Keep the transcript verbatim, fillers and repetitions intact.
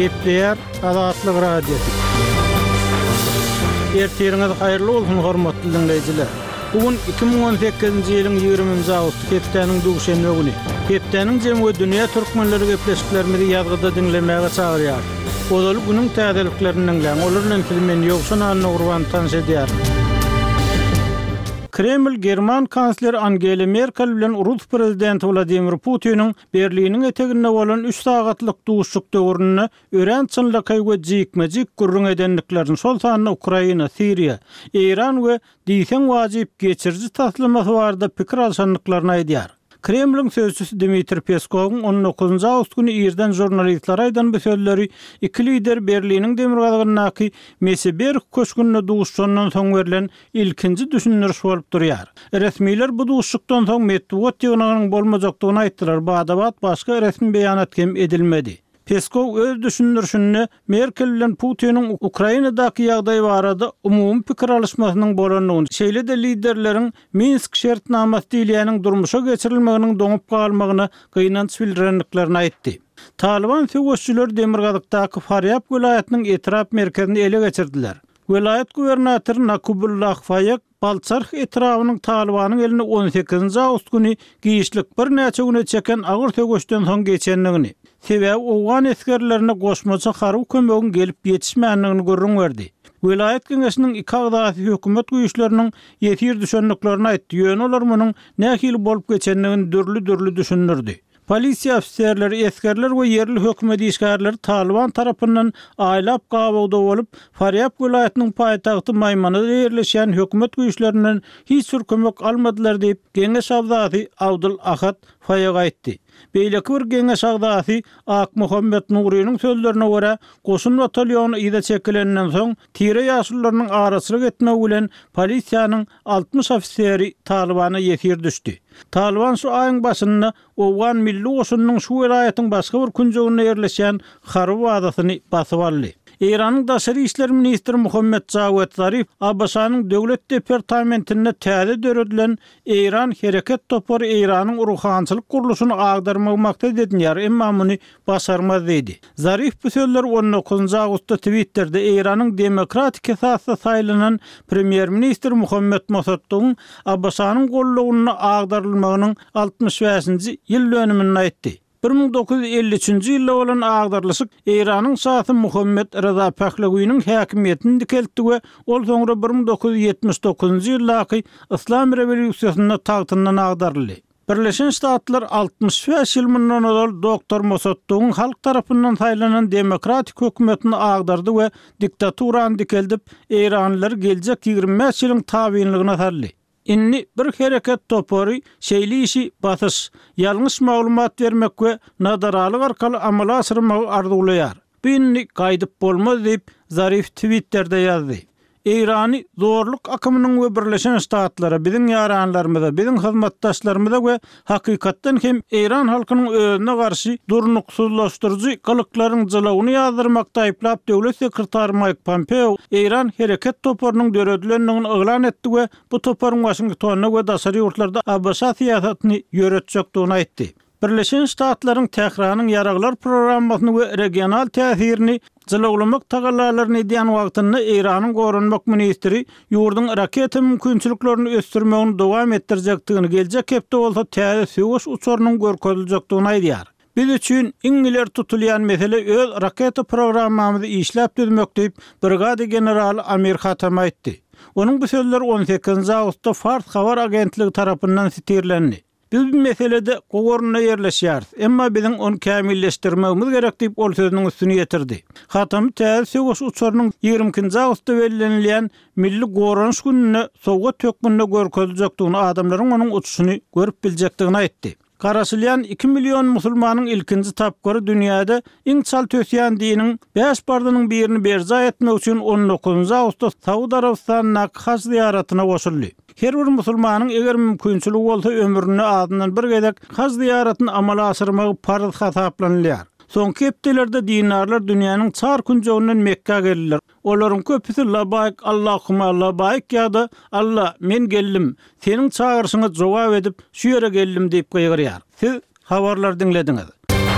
Gepleýär Azatlyk Radiosy. Ertiriňiz haýyrly bolsun, hormatly diňleýjiler. Bu gün iki müň on sekizinji ýylyň ýigriminji awgusty, hepdäniň duşenbe güni. Hepdäniň jemi we dünýä türkmenleri gepleşiklerimizi ýazgyda diňlemäge çagyrýar. Ozaly günüň täzeliklerini diňläň. Olar bilen sizi men Ýowşan Annagurban tanyş edýärin. Kreml German kansleri Angela Merkel bilen Rus prezidenti Wladimir Putiniň Berliniň eteginde bolan üç sagatlyk duşuşyk döwründe örän çynlakaý we jikme-jik gürrüň edendiklerini, şol sanda Ukraina, Siriýa, Eýran we diýseň wajyp geçiriji taslamasy barada pikir alşandyklaryny aýdýar. Kremliň sözçüsi Dmitriý Peskowyň on dokuzynjy awgust güni irden žurnalistlere aýdan bu sözleri iki lider Berliniň demirgazygyndaky Meseberg köşgünde duşuşandan soň berlen ilkinji düşündiriş bolup durýar. Resmiler bu duşuşykdan soň metbugat ýygnagynyň bolmajakdygyny aýtdylar, bada-bat başga resmi beýanat hem edilmedi. Peskow öz düşündirişinde Merkel bilen Putiniň Ukrainadaky ýagdaý barada umumy pikir alyşmasynyň bolandygyny, şeýle-de liderleriň Minsk şertnamasy diýilýäniň durmuşa geçirilmeginiň doňup galmagyna gynanç bildirendiklerini aýtdy. Talyban söweşçileri Demirgazykdaky Farýab welaýatynyň etrap merkezini ele geçirdiler. Welaýat gubernatory Nakubullah Faýek Balçarh etrabynyň Talybanyň eline on sekizinji awgust güni giçlik birnäçe güne çeken agyr söweşden soň geçendigini, sebäbi owgan esgerlerine goşmaça harby kömegiň gelip ýetişmändigini gürrüň berdi. Welaýat geňeşiniň iki agzasy hökümet güýçleriniň ýesir düşendiklerini aýtdy, ýöne olar munuň nähili bolup geçendigini dürli-dürli düşündirdi. Polisiýa ofiserleri, esgerler we ýerli hökümet işgärleri Talyban tarapyndan aýlap gabawda bolup, Farýab welaýatynyň paýtagty Maýmanada ýerleşýän hökümet güýçlerinden hiç bir kömek almadylar diýip, geňeş agzasy Abdul Ahad Faýak aýtdy. Beýleki bir geňeş agzasy Akmuhammet Nurynyň sözlerine görä, goşun batalýony yza çekilenden soň, tire ýaşulularynyň araçylyk etmegi bilen polisiýanyň altmyş ofiseri Talybana ýesir düşdi. Talyban şu aýyň başynda Owgan milli goşunynyň şu welaýatyň başga bir künjeginde ýerleşýän harby bazasyny basyp aldy. Eýranyň daşary işler ministri Muhammet Jawed Zarif A B Ş-nyň Döwlet departamentinde täze döredilen Eýran hereket topary Eýranyň ruhançylyk gurluşyny agdarmagy maksat edinýär, emma muny başarmaz diýdi. Zarif bu sözleri on dokuzynjy awgustda Twitterde Eýranyň demokratik esasda saýlanan premýer-ministri Muhammet Mosaddygyň A B Ş-nyň gollagynda agdarylmagynyň altmyş bäşinji ýyl dönüminde aýtdy. Bir müň dokuz ýüz elli üçünji ýylda bolan agdarylyşyk Eýranyň şasy Muhammet Reza Pahlawiniň häkimiýetini dikeltdi we ol soňra bir müň dokuz ýüz ýetmiş dokuzynjy ýyldaky Yslam rewolýusiýasynda tagtyndan agdaryldy. Birleşen Ştatlar altmyş bäş ýyl mundan ozal doktor Mosaddygyň halk tarapyndan saýlanan demokratik hökümetini agdardy we diktaturany dikeldip, eýranlylary geljek ýigrimi bäş ýylyň tabynlygyna saldy. Indi bir hereket topary şeýle işi basyş, ýalňyş maglumat bermek we nadaralyk arkaly amala aşyrmagy arzuwlaýar. Bu indi gaýdyp bolmaz diýip, Zarif Twitterde ýazdy. Eýrany zorluk akymynyň we Birleşen Ştatlara, biziň ýaranlarymyza, biziň hyzmatdaşlarymyza we hakykatdan hem Eýran halkynyň özüne garşy durnuksyzlaşdyryjy gylyklaryň jylawyny ýazdyrmakda aýyplap döwlet sekretary Maýk Pompeo Eýran hereket toparynyň döredilendigini yglan etdi we bu toparyň Waşingtonda we daşary ýurtlarda A B Ş syýasatyny ýöretjekdigini aýtdy. Birleşen Ştatlaryň Tähranyň ýaraglar programmasyny we regional täsirini jylawlamak tagallalaryny edýän wagtynda Eýranyň goranmak ministri ýurduň raketa mümkinçiliklerini ösdürmegini dowam etdirjekdigini, geljek hepde bolsa täze söweş uçarynyň görkeziljekdigini aýdýar. Biz üçin iň ileri tutulýan mesele öz raketa programmamyzy işläp düzmek diýip, brigada generaly Amir Hatam aýtdy. Onuň bu sözleri on sekizinji awgustda Fars habar agentligi tarapyndan sitirlendi. Biz bu meselede gowy orunda ýerleşýäris, emma biziň ony kämilleşdirmegimiz gerek diýip, ol sözüniň üstüni ýetirdi. Hatamy täze söweş uçarynyň ýigrimi ikinji awgustda bellenilýän Milli goranyş gününde sowgat hökmünde görkeziljekdigini, adamlaryň onuň uçuşyny görüp biljekdigini aýtdy. Garaşylýan iki million musulmanyň ilkinji tapgyry dünýäde iň çalt ösýän diniň bäş parzynyň birini berjaý etmek üçin on dokuzynjy awgustda Saud Arabystanyndaky haj zyýaratyna goşuldy. Her bir musulmanyň eger mümkinçiligi bolsa ömründe azyndan bir gezek haj zyýaratyny amala aşyrmagy parz hasaplanylýar. Soňky hepdelerde dindarlar dünýäniň çar künjeginden Mekgä geldiler. Olaryň köpüsi Labaýk Allahuma labaýk ýa-da Alla, men geldim, seniň çagyryşyňa jogap edip, şu ýere geldim diýip gygyrýar. Siz habarlary diňlediňiz.